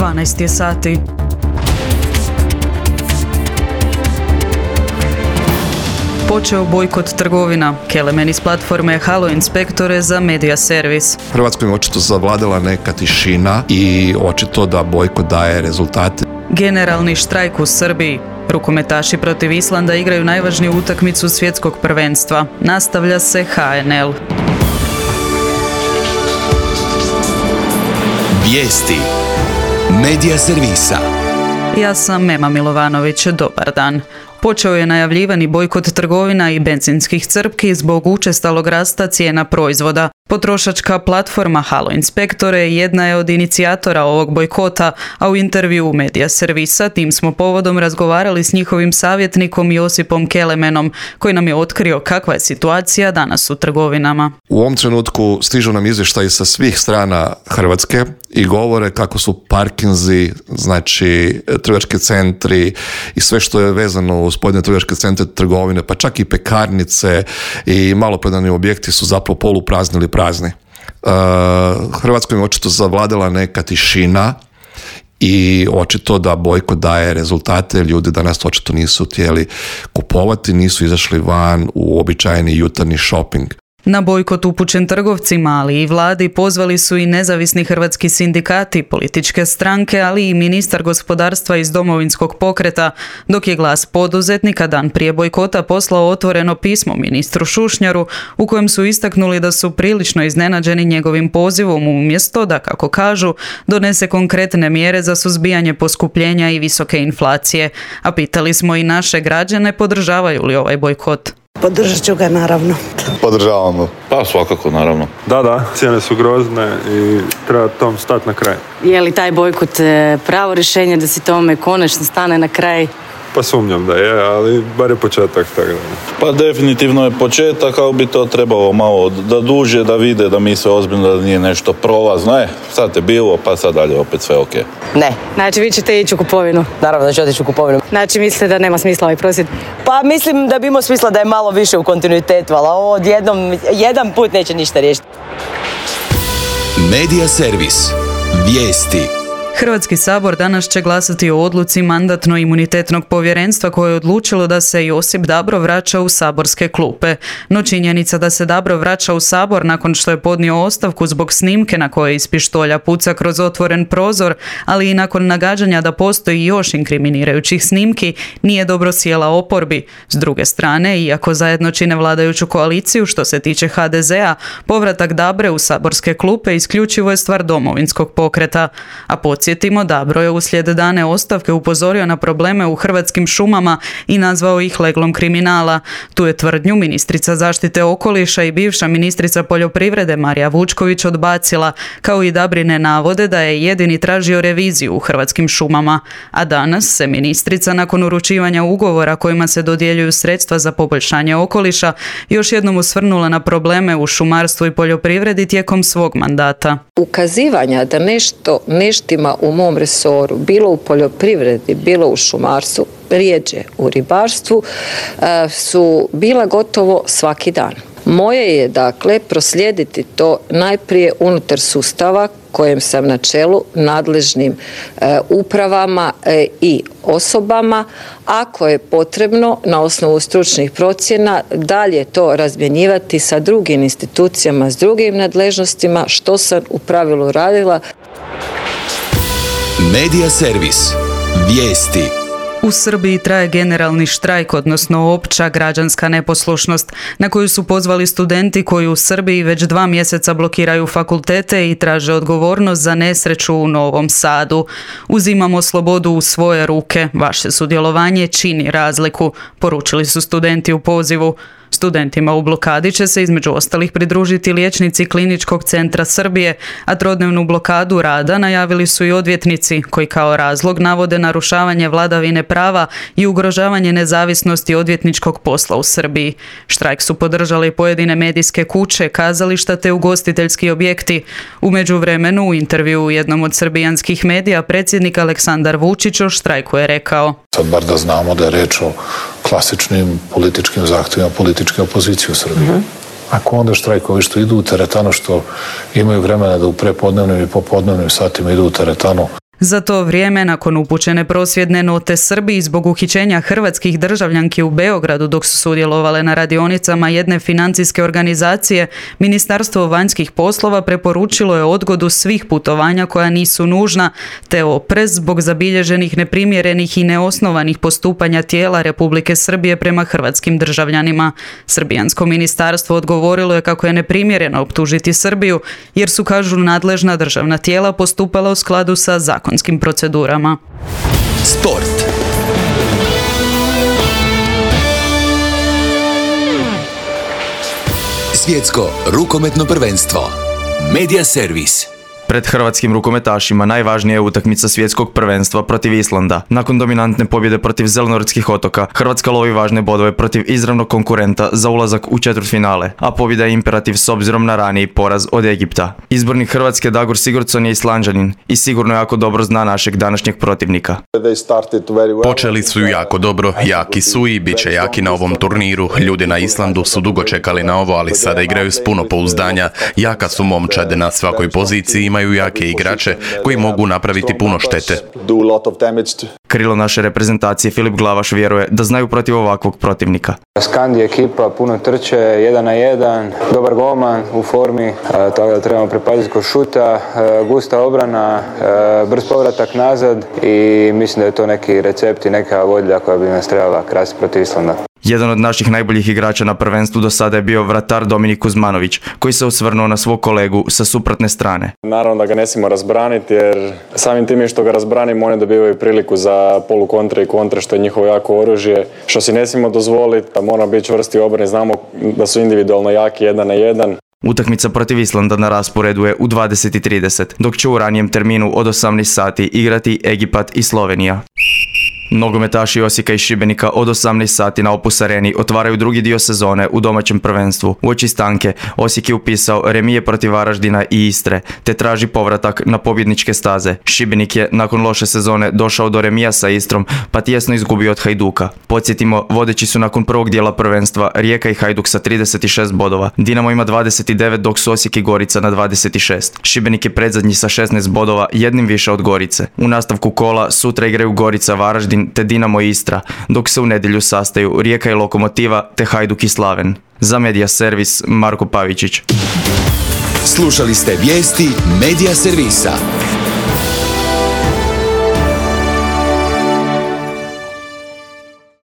12 je sati. Počeo bojkot trgovina. Kelemen iz platforme Halo inspektore za Media Servis. Hrvatskoj je očito zavladala neka tišina i očito da bojkot daje rezultate. Generalni štrajk u Srbiji. Rukometaši protiv Islanda igraju najvažniju utakmicu svjetskog prvenstva. Nastavlja se HNL. Vijesti Media Servisa. Ja sam Mema Milovanović, dobar dan. Počeo je najavljivani bojkot trgovina i benzinskih crpki zbog učestalog rasta cijena proizvoda. Potrošačka platforma Halo inspektore jedna je od inicijatora ovog bojkota, a u intervju Media Servisa tim smo povodom razgovarali s njihovim savjetnikom Josipom Kelemenom, koji nam je otkrio kakva je situacija danas u trgovinama. U ovom trenutku stižu nam izvještaji sa svih strana Hrvatske i govore kako su parkinzi, znači trgovački centri i sve što je vezano uz pojedine trgovačke centre, trgovine, pa čak i pekarnice i maloprodajni objekti su zapravo poluprazni ili prazni. Hrvatskoj je očito zavladala neka tišina i očito da bojkot daje rezultate. Ljudi danas očito nisu htjeli kupovati, nisu izašli van u običajni jutarnji shopping. Na bojkot upućen trgovcima, ali i vladi pozvali su i nezavisni hrvatski sindikati, političke stranke, ali i ministar gospodarstva iz Domovinskog pokreta, dok je Glas poduzetnika dan prije bojkota poslao otvoreno pismo ministru Šušnjaru u kojem su istaknuli da su prilično iznenađeni njegovim pozivom umjesto da, kako kažu, donese konkretne mjere za suzbijanje poskupljenja i visoke inflacije. A pitali smo i naše građane podržavaju li ovaj bojkot. Podržat ću ga, naravno. Podržavamo. Pa svakako, naravno. Da, cijene su grozne i treba tom stati na kraj. Je li taj bojkot pravo rješenje da se tome konačno stane na kraj? Pa sumnjam da je, ali bar je početak. Tako da. Pa definitivno je početak, ali bi to trebalo malo da duže, da vide da mi se ozbiljno, da nije nešto prolazno. Sad je bilo, pa sad dalje opet sve ok. Ne. Znači vi ćete ići u kupovinu? Naravno da ću otići u kupovinu. Znači mislite da nema smisla ovaj prosvjed? Pa mislim da bi imao smisla da je malo više u kontinuitetu, ali ovo odjednom, jedan put neće ništa riješiti. Media Servis. Vijesti. Hrvatski sabor danas će glasati o odluci Mandatno-imunitetnog povjerenstva koje je odlučilo da se Josip Dabro vraća u saborske klupe. No činjenica da se Dabro vraća u sabor nakon što je podnio ostavku zbog snimke na kojoj iz pištolja puca kroz otvoren prozor, ali i nakon nagađanja da postoji još inkriminirajućih snimki, nije dobro sjela oporbi. S druge strane, iako zajedno čine vladajuću koaliciju što se tiče HDZ-a, povratak Dabre u saborske klupe isključivo je stvar Domovinskog pokreta. A podsjetimo, Dabro je uslijed dane ostavke upozorio na probleme u Hrvatskim šumama i nazvao ih leglom kriminala. Tu je tvrdnju ministrica zaštite okoliša i bivša ministrica poljoprivrede Marija Vučković odbacila, kao i Dabrine navode da je jedini tražio reviziju u Hrvatskim šumama. A danas se ministrica nakon uručivanja ugovora kojima se dodjeljuju sredstva za poboljšanje okoliša još jednom osvrnula na probleme u šumarstvu i poljoprivredi tijekom svog mandata. Ukazivanja da nešto neštima u mom resoru, bilo u poljoprivredi, bilo u šumarstvu, rijeđe u ribarstvu, su bila gotovo svaki dan. Moje je, dakle, proslijediti to najprije unutar sustava kojem sam na čelu, nadležnim upravama i osobama, ako je potrebno na osnovu stručnih procjena dalje to razmjenjivati sa drugim institucijama, s drugim nadležnostima, što sam u pravilu radila. Media Servis. Vijesti. U Srbiji traje generalni štrajk, odnosno opća građanska neposlušnost, na koju su pozvali studenti koji u Srbiji već 2 mjeseca blokiraju fakultete i traže odgovornost za nesreću u Novom Sadu. Uzimamo slobodu u svoje ruke, vaše sudjelovanje čini razliku, poručili su studenti u pozivu. Studentima u blokadi će se između ostalih pridružiti liječnici Kliničkog centra Srbije, a trodnevnu blokadu rada najavili su i odvjetnici, koji kao razlog navode narušavanje vladavine prava i ugrožavanje nezavisnosti odvjetničkog posla u Srbiji. Štrajk su podržali pojedine medijske kuće, kazališta te ugostiteljski objekti. U međuvremenu, u intervju u jednom od srbijanskih medija, predsjednik Aleksandar Vučić o štrajku je rekao: Sad bar da znamo da je reč o klasičnim političkim zahtjevima političke opozicije u Srbiji. Ako onda štrajkovi što idu u teretanu, što imaju vremena da u prepodnevnim i popodnevnim satima idu u teretanu. Za to vrijeme, nakon upućene prosvjedne note Srbiji zbog uhićenja hrvatskih državljanki u Beogradu dok su sudjelovale na radionicama jedne financijske organizacije, Ministarstvo vanjskih poslova preporučilo je odgodu svih putovanja koja nisu nužna, te oprez zbog zabilježenih neprimjerenih i neosnovanih postupanja tijela Republike Srbije prema hrvatskim državljanima. Srbijansko ministarstvo odgovorilo je kako je neprimjereno optužiti Srbiju, jer su, kažu, nadležna državna tijela postupala u skladu sa zakonskim procedurama. Sport. Svjetsko rukometno prvenstvo. Media servis. Pred hrvatskim rukometašima najvažnija je utakmica svjetskog prvenstva protiv Islanda. Nakon dominantne pobjede protiv Zelenortskih otoka, Hrvatska lovi važne bodove protiv izravnog konkurenta za ulazak u četvrtfinale, a pobjeda je imperativ s obzirom na raniji poraz od Egipta. Izbornik Hrvatske Dagur Sigurdsson je Islanđanin i sigurno jako dobro zna našeg današnjeg protivnika. Počeli su jako dobro, jaki su i bit će jaki na ovom turniru. Ljudi na Islandu su dugo čekali na ovo, ali sada igraju s puno pouzdanja. Jaka su momčad na svakoj poziciji, imaju jake igrače koji mogu napraviti puno štete. Krilo naše reprezentacije Filip Glavaš vjeruje da znaju protiv ovakvog protivnika. Skandi ekipa puno trče, 1 na 1, dobar golman u formi, tako da trebamo pripaziti kod šuta, gusta obrana, brz povratak nazad i mislim da je to neki recept i neka vodilja koja bi nas trebala krasiti protiv Islanda. Jedan od naših najboljih igrača na prvenstvu do sada je bio vratar Dominik Kuzmanović, koji se osvrnuo na svog kolegu sa suprotne strane. Naravno da ga ne smijemo razbraniti, jer samim tim što ga razbranimo, oni dobivaju priliku za polukontre i kontre, što je njihovo jako oružje. Što si ne smijemo dozvoliti, da moramo biti čvrsti u obrani, znamo da su individualno jaki 1 na 1. Utakmica protiv Islanda na rasporedu je u 20:30, dok će u ranijem terminu od 18 sati igrati Egipat i Slovenija. Nogometaši Osijeka i Šibenika od 18 sati na Opus Areni otvaraju drugi dio sezone u domaćem prvenstvu. Uoči stanke Osijek je upisao remije protiv Varaždina i Istre, te traži povratak na pobjedničke staze. Šibenik je nakon loše sezone došao do remija sa Istrom, pa tjesno izgubio od Hajduka. Podsjetimo, vodeći su nakon prvog dijela prvenstva Rijeka i Hajduk sa 36 bodova. Dinamo ima 29, dok su Osijek i Gorica na 26. Šibenik je predzadnji sa 16 bodova, jednim više od Gorice. U nastavku kola sutra igraju Gorica, Varaždin te Dinamo i Istra, dok se u nedjelju sastaju Rijeka i Lokomotiva te Hajduk i Slaven. Za Media servis Marko Pavičić. Slušali ste vijesti Media servisa.